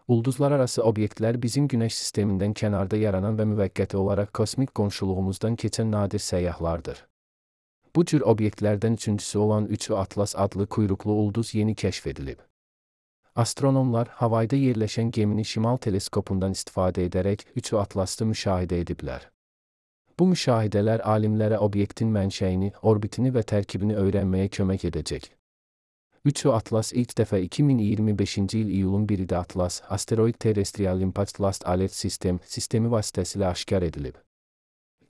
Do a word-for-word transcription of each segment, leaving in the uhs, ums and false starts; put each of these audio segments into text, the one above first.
Ulduzlararası obyektlər bizim Günəş sistemindən kənarda yaranan və müvəqqəti olaraq kosmik qonşuluğumuzdan keçən nadir səyyahlardır. Bu cür obyektlərdən üçüncüsü olan üçü Atlas adlı kuyruqlu ulduz yeni kəşf edilib. Astronomlar Havayda yerləşən gemini şimal teleskopundan istifadə edərək üçü Atlas'ı müşahidə ediblər. Bu müşahidələr alimlərə obyektin mənşəyini, orbitini və tərkibini öyrənməyə kömək edəcək. üçü Atlas ilk dəfə iki min iyirmi beşinci il iyulun birində Atlas, Asteroid Terrestrial Impact Alert System sistemi vasitəsilə aşkar edilib.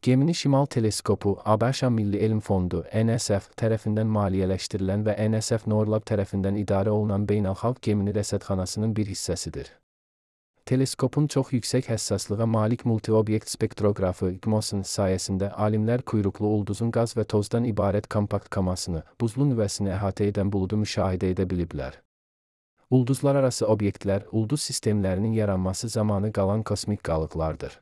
Gemini Şimal Teleskopu, ABŞ Milli Elm Fondu, N S F tərəfindən maliyyələşdirilən və N S F Norlab tərəfindən idarə olunan beynəlxalq gemini rəsədxanasının bir hissəsidir. Teleskopun çox yüksək həssaslığa malik multi-obyekt spektroqrafı I G M O S-ın sayəsində alimlər kuyruqlu ulduzun qaz və tozdan ibarət kompakt kamasını, buzlu nüvəsini əhatə edən buludu müşahidə edə biliblər. Ulduzlararası obyektlər, ulduz sistemlərinin yaranması zamanı qalan kosmik qalıqlardır.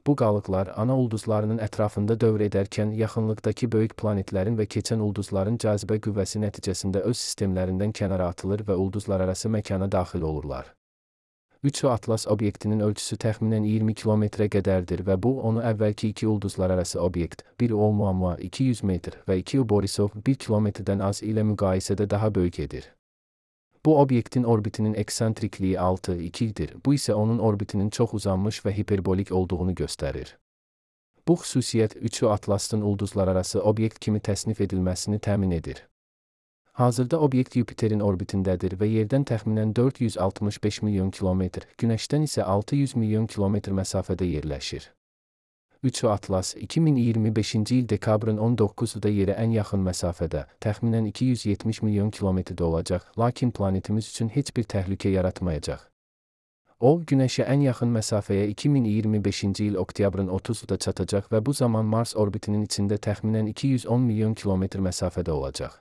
Bu qalıqlar ana ulduzlarının ətrafında dövr edərkən yaxınlıqdakı böyük planetlərin və keçən ulduzların cazibə qüvvəsi nəticəsində öz sistemlərindən kənara atılır və ulduzlararası məkana daxil olurlar. üçü Atlas obyektinin ölçüsü təxminən iyirmi kilometrə qədərdir və bu, onu əvvəlki iki ulduzlararası obyekt, biri Oumuamua iki yüz metr və iki Borisov bir kilometrdən az ilə müqayisədə daha böyük edir. Bu obyektin orbitinin eksentrikliyi altı ikidir, bu isə onun orbitinin çox uzanmış və hiperbolik olduğunu göstərir. Bu xüsusiyyət üçü Atlas'ın ulduzlararası obyekt kimi təsnif edilməsini təmin edir. Hazırda obyekt Yupiterin orbitindədir və yerdən təxminən dörd yüz altmış beş milyon kilometr, Günəşdən isə altı yüz milyon kilometr məsafədə yerləşir. üçü Atlas, iki min iyirmi beşinci il dekabrın on doqquzunda yerə ən yaxın məsafədə, təxminən iki yüz yetmiş milyon kilometrdə olacaq, lakin planetimiz üçün heç bir təhlükə yaratmayacaq. O, Günəşə ən yaxın məsafəyə iki min iyirmi beşinci il oktyabrın otuzunda çatacaq və bu zaman Mars orbitinin içində təxminən iki yüz on milyon kilometr məsafədə olacaq.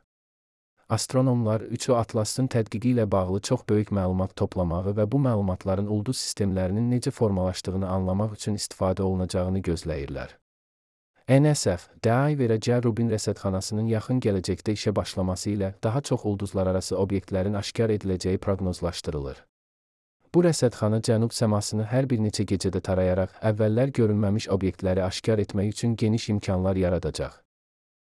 Astronomlar üçü Atlas'ın tədqiqi ilə bağlı çox böyük məlumat toplamağı və bu məlumatların ulduz sistemlərinin necə formalaşdığını anlamaq üçün istifadə olunacağını gözləyirlər. N S F, D A I və C Rubin rəsədxanasının yaxın gələcəkdə işə başlaması ilə daha çox ulduzlararası obyektlərin aşkar ediləcəyi proqnozlaşdırılır. Bu rəsədxana cənub səmasını hər bir neçə gecədə tarayaraq əvvəllər görünməmiş obyektləri aşkar etmək üçün geniş imkanlar yaradacaq.